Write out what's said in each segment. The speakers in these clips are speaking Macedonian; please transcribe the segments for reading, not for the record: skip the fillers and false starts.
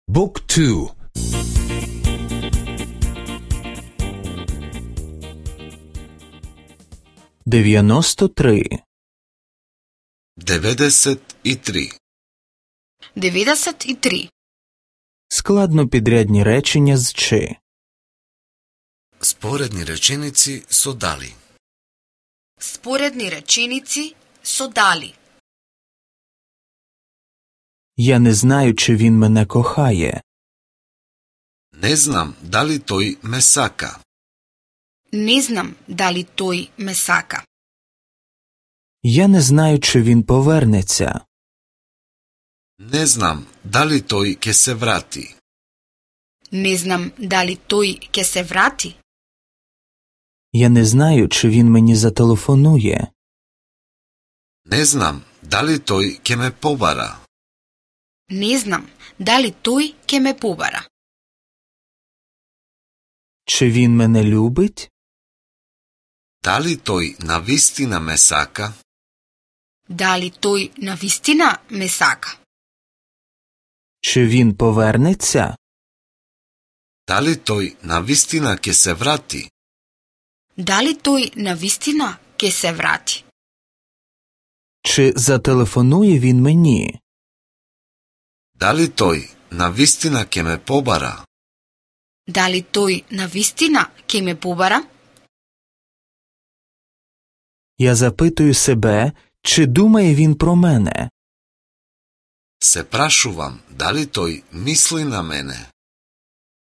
Book 2. 93. 93. 93. Складнопідрядні речення з «чи». Споредни реченици со дали. Споредни реченици со дали. Я не знаю, чи він мене кохає. Не знам дали тој ме сака. Не знам дали тој ме сака. Я не знаю, чи він повернеться. Не знам дали тој ќе се врати. Не знам дали тој ќе се врати. Я не знаю, чи він мені зателефонує. Не знам дали тој ќе ме побара. Не знам дали тој ќе ме побара. Чи він мене любить? Дали тој навистина ме сака? Дали тој навистина ме сака? Чи він повернеться? Дали тој навистина ќе се врати? Дали тој навистина ќе се врати? Чи зателефонує він мені? Дали тој навистина ќе ме побара? Дали тој навистина ќе ме побара? Я запитую себе, чи думає він про мене. Се прашувам дали тој мисли на мене.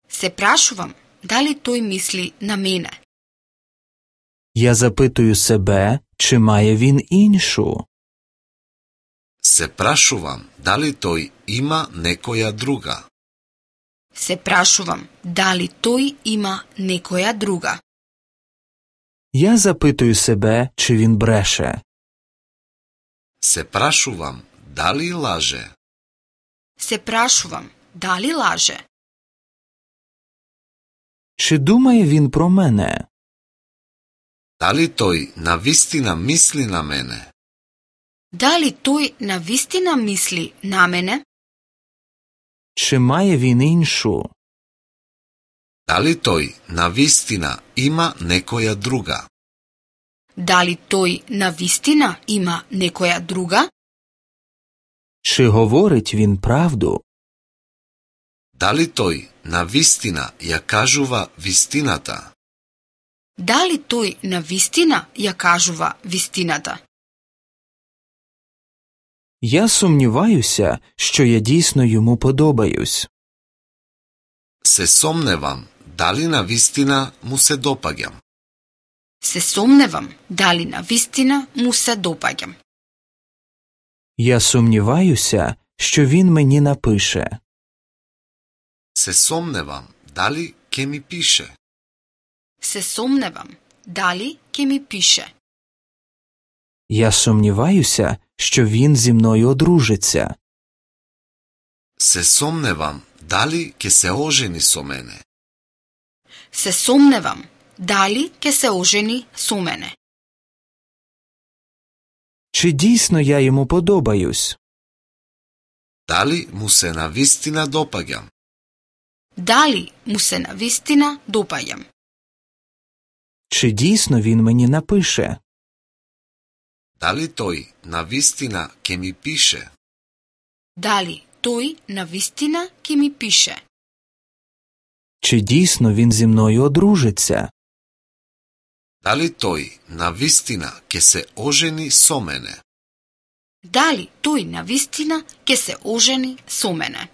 Се прашувам дали тој мисли на мене. Я запитую себе, чи має він іншу. Се прашувам дали тој има некоја друга. Се прашувам дали тој има некоја друга. Я запитую себе, чи він бреше. Се прашувам дали лаже. Се прашувам дали лаже. Чи думає він про мене? Дали тој навистина мисли на мене. Дали тој навистина мисли на мене? Чи має він іншу? Дали тој навистина има некоја друга. Дали тој навистина има некоја друга? Чи говорить він правду? Дали тој навистина ја кажува вистината. Дали тој навистина ја кажува вистината? Я сумніваюся, що я дійсно йому подобаюсь. Се сомневам дали навистина му се допаѓам. Се сомневам дали навистина му се допаѓам. Я сумніваюся, що він мені напише. Се сомневам дали ќе ми пише. Се сомневам дали ќе ми пише. Я сумніваюся, що він зі мною одружиться. Се сомневам дали ќе се ожени со мене. Се сомневам дали ќе се ожени со мене. Чи дійсно я йому подобаюсь? Дали му се навистина допаѓам. Дали му се навистина допаѓам. Чи дійсно він мені напише? Дали тој навистина ќе ми пише. Дали тој навистина ќе ми пише. Чи дійсно він зі мною одружиться? Дали тој навистина ќе се ожени со мене. Дали тој навистина ќе се ожени со мене.